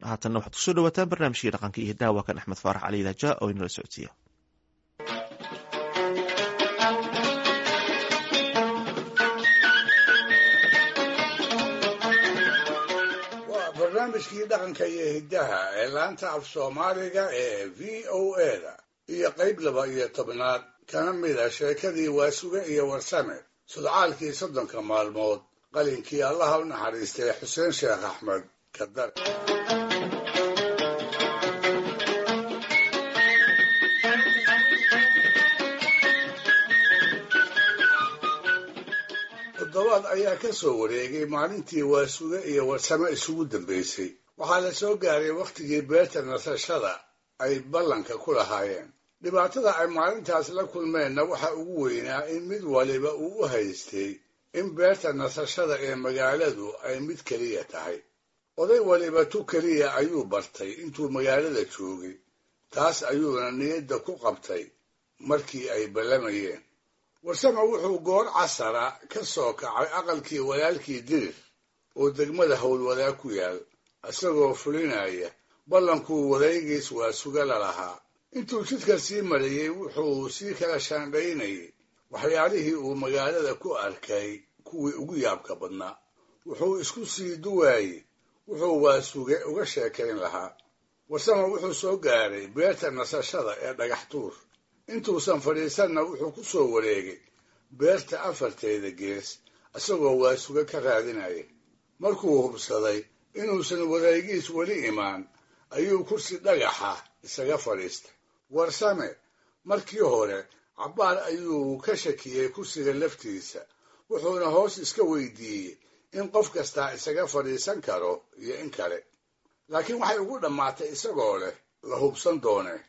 Haatanna waxaad kusoo dhawaataan barnaamijkii dhaqanka iyo hiddaha. Waa kan Axmed Faarax Cali Daaja oo inala socodsiiya. Waa barnaamijkii dhaqanka iyo hiddaha ee laanta af Soomaaliga ee VOA-da iyo qayb 12aad kana mid a sheekadii Waasuge iyo Warsame, sudcaalkii 30-ka maalmood, qalinkii Allaha u naxariistay Xuseen Sheekh Axmed Kadar. Toddobaad ayaa ka soo wareegay maalintii Waasuge iyo Warsame isugu dambaysay. Waxaa la soo gaaray wakhtigii beerta nasashada ay ballanka ku lahaayeen. Dhibaatada ay maalintaas la kulmeenna waxa ugu weynaa in mid waliba uu u haystay in beerta nasashada ee magaaladu ay mid keliya tahay. Oday waliba tu keliya ayuu bartay intuu magaalada joogay, taas ayuuna niyadda ku qabtay markii ay ballamayeen. Warsame wuxuu goor casara ka soo kacay aqalkii walaalkii Dirir oo degmada Howlwadaag ku yaal, isagoo fulinaya ballankuu wadaygiis Waasuge la lahaa. Intuu jidka sii marayey wuxuu sii kala shaandhaynayay waxyaalihii uu magaalada ku arkay kuwii ugu yaabka badnaa. Wuxuu isku sii duwaayey wuxuu Waasuge uga sheekayn lahaa. Warsame wuxuu soo gaaray beerta nasashada ee Dhagax Tuur. Intuusan fadhiisanna wuxuu ku soo wareegay beerta afarteeda gees isagoo Waasuge ka raadinaya. Markuu hubsaday inuusan wareegiis weli imaan ayuu kursi dhagaxa isaga fadhiistay. Warsame markii hore cabbaar ayuu ka shakiyey kursiga laftiisa, wuxuuna hoos iska weydiiyey in qof kastaa isaga fadhiisan karo iyo in kale, laakiin waxay ugu dhammaatay isagoo leh la hubsan doonee.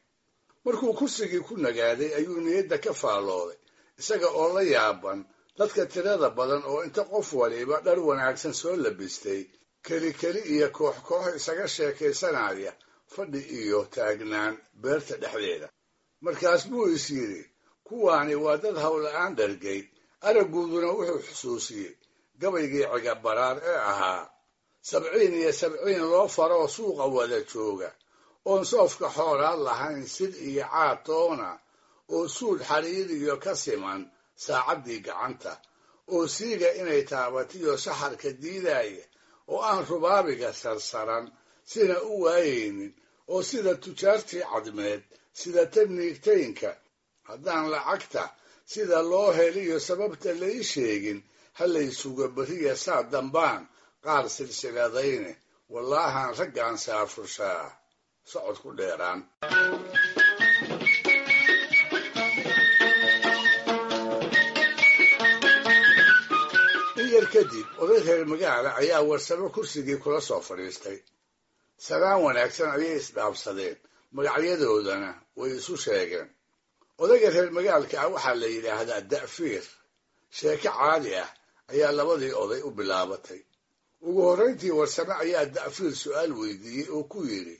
Markuu kursigii ku nagaaday ayuu niyadda ka faallooday, isaga oo la yaaban dadka tirada badan oo inta qof waliba dhar wanaagsan soo labistay keli keli iyo koox koox isaga sheekaysanaya fadhi iyo taagnaan beerta dhexdeeda. Markaas buu is yidhi, kuwaani waa dad howla-aan dhargay. Aragguuduna wuxuu xusuusiyey gabaygii Cigabaraar ee ahaa: 70 iyo 70 loo faroo suuqa wada jooga, oon soofka xoolaad lahayn sid iyo caad toona, oo suud xariiriyo ka siman saacaddii gacanta, oo siiga inay taabatiyo saxarka diidaaya, oo aan rubaabiga sarsaran sina u waayaynin, oo sida tujaartii Cadmeed sida taniigtaynka, haddaan lacagta sida loo heliyo sababta lai sheegin, ha laysugo beriya saa dambaan qaar silsiladayne, wallaahaan raggaan saafurshaa socod ku dheeraan. In yar kadib oday reer magaala ayaa Warsamo kursigii kula soo fadhiistay. Salaan wanaagsan ayay isdhaafsadeen, magacyadoodana way isu sheegeen. Odayga reer magaalka ah waxaa la yidhaahdaa Da'fiir. Sheeko caadi ah ayaa labadii oday u bilaabatay. Ugu horrayntii Warsame ayaa Da'fiir su'aal weydiiyey oo ku yidhi,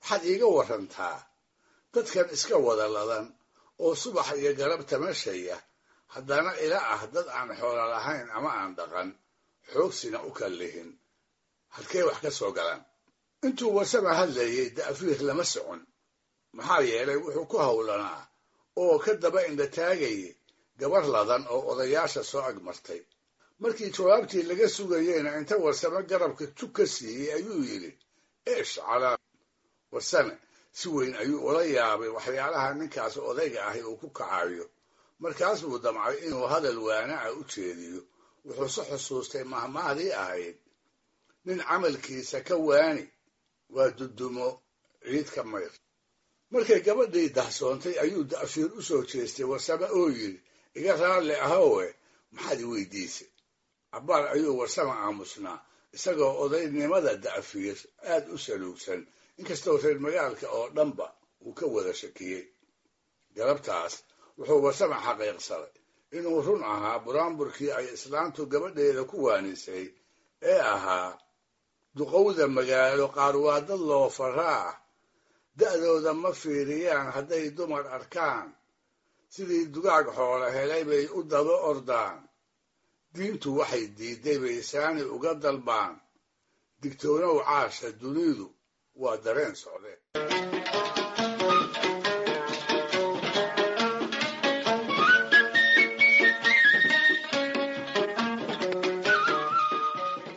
waxaad iiga warrantaa dadkan iska wada ladan oo subax iyo galab tamashaya, haddana ila ah dad aan xoolo lahayn ama aan dhaqan, xoogsina u kallihin, halkee wax ka soo galaan? Intuu Warsame hadlayey Da'fiir lama socon, maxaa yeelay wuxuu ku howlanaa oo ka daba indhataagayay gabar ladan oo odayaasha soo agmartay. Markii jawaabtii laga sugayeyna inta Warsame garabka jug ka siiyey ayuu yidhi, eesh calaa. Warsame si weyn ayuu ula yaabay waxyaalaha ninkaas odayga ahi uu ku kacayo. Markaas buu damcay inuu hadal waanaca u jeediyo, wuxuu se xusuustay mahmaahdii ahayd, nin camalkiisa ka waani waa dudumo ciid ka mayr. Markay gabadhii dahsoontay ayuu Da'fiir u soo jeestay Warsame oo yidhi, iga raalli ahowe, maxaad i weydiisay? Cabbaar ayuu Warsame aamusnaa, isagoo odaynimada Da'fiir aad u saluugsan, inkastoo reer magaalka oo dhanba uu ka wada shakiyey. Galabtaas wuxuu Warsame xaqiiqsaday inuu run ahaa buraanburkii ay islaantu gabadheeda ku waanisay ee ahaa, duqowda magaalo qaar waa dad loo faraa, da'dooda ma fiiriyaan hadday dumar arkaan, sidii dugaag xoolo helay bay u daba ordaan, diintu waxay diidday bay saani uga dalbaan, digtoonow caasha dunidu Waa dareen socde.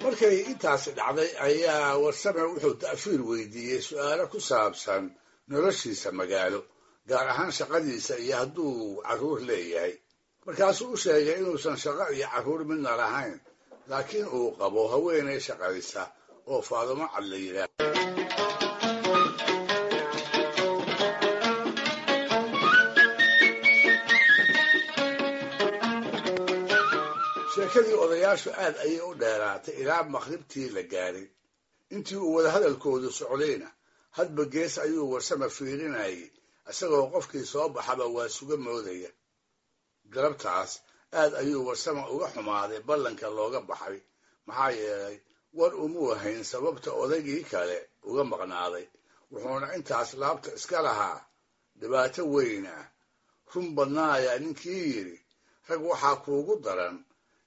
Markay intaasi dhacday ayaa Warsame wuxuu Ta'fiir weydiiyey su'aalo ku saabsan noloshiisa magaalo, gaar ahaan shaqadiisa iyo hadduu carruur leeyahay. Markaasuu u sheegay inuusan shaqo iyo carruur midna lahayn, laakiin uu qabo haweenay shaqaysa oo Faadumo Cad la yidhaah. Sheekadii odayaashu aad ayay u dheeraatay ilaa maqribtii la gaaray. Intii uu wadahadalkoodu socdayna hadba gees ayuu Warsame fiirinayay, isagoo qofkii soo baxaba waa suga moodaya. Galabtaas aad ayuu Warsame uga xumaaday ballanka looga baxay, maxaa yeelay war umuu hayn sababta odaygii kale uga maqnaaday, wuxuuna intaas laabta iska lahaa dhibaato weyn ah. Run badnaayaa ninkii yidhi, rag waxaa kuugu daran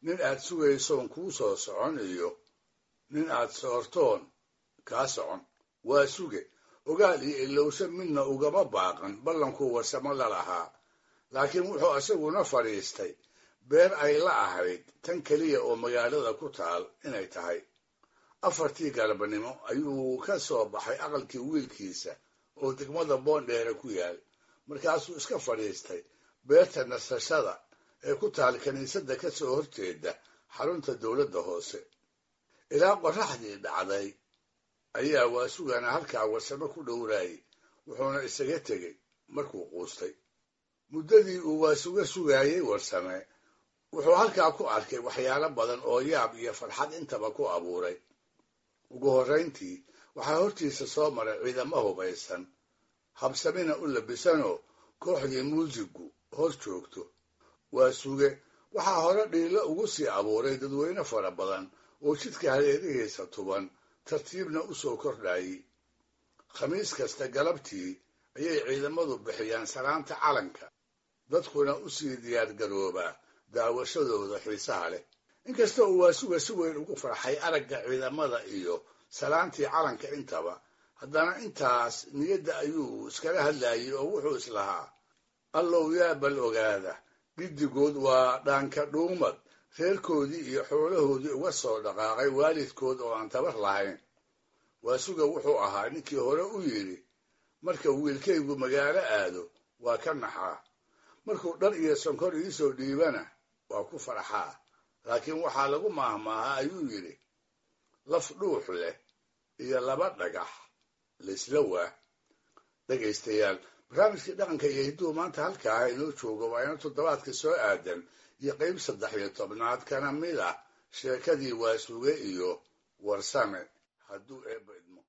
nin aad sugaysoon kuu soo socon iyo nin aad soortoon kaa socon. Waa suge ogaal iyo ilowsho midna ugama baaqan ballankuu Warsamo la lahaa, laakiin wuxuu isaguna fadhiistay beer ay la ahayd tan keliya oo magaalada ku taal inay tahay. 4tii galabnimo ayuu ka soo baxay aqalkii wiilkiisa oo degmada Boondheere ku yaal, markaasuu iska fadhiistay beerta nasashada ee ku taal kiniisadda ka soo horjeeda xarunta dowladda hoose. Ilaa qorraxdii dhacday ayaa Waasugana halkaa Warsame ku dhowraayey, wuxuuna isaga tegey markuu quustay. Muddadii uu Waasuga sugaayey Warsame wuxuu halkaa ku arkay waxyaalo badan oo yaab iyo farxad intaba ku abuuray. Ugu horrayntii waxaa hortiisa soo maray ciidamo hubaysan, habsamina u labisanoo kooxdii muusigu hor joogto. Waasuge waxaa hore dhiilo ugu sii abuuray dadweyne fara badan oo jidka hareerihiisa tuban tartiibna u soo kordhayey. Khamiis kasta galabtii ayay ciidamadu bixiyaan salaanta calanka, dadkuna u sii diyaargaroobaa daawashadooda xiisaha leh. Inkasta uu Waasuga si weyn ugu farxay aragga ciidamada iyo salaantii calanka intaba, haddana intaas niyadda ayuu iskala hadlayey oo wuxuu islahaa, allow yaa bal ogaada, giddigood waa dhaanka dhuumad reerkoodii iyo xoolahoodii uga soo dhaqaaqay waalidkood oo aan tabar lahayn. Waasuga wuxuu ahaa ninkii hore u yidhi, marka wiilkaygu magaalo aado waa ka naxaa, markuu dhar iyo sonkor iisoo dhiibana waa ku farxaa, laakiin waxaa lagu maahmaahaa ayuu yidhi, laf dhuux leh iyo laba dhagax laysla waa. Dhegaystayaal, barnaamijkii dhaqanka iyo hidduhu maanta halkaaha inoo joogo waa ina toddobaadka soo aadan iyo qayb 13aad kana mid ah sheekadii Waasuge iyo Warsame, hadduu Eebba idmo.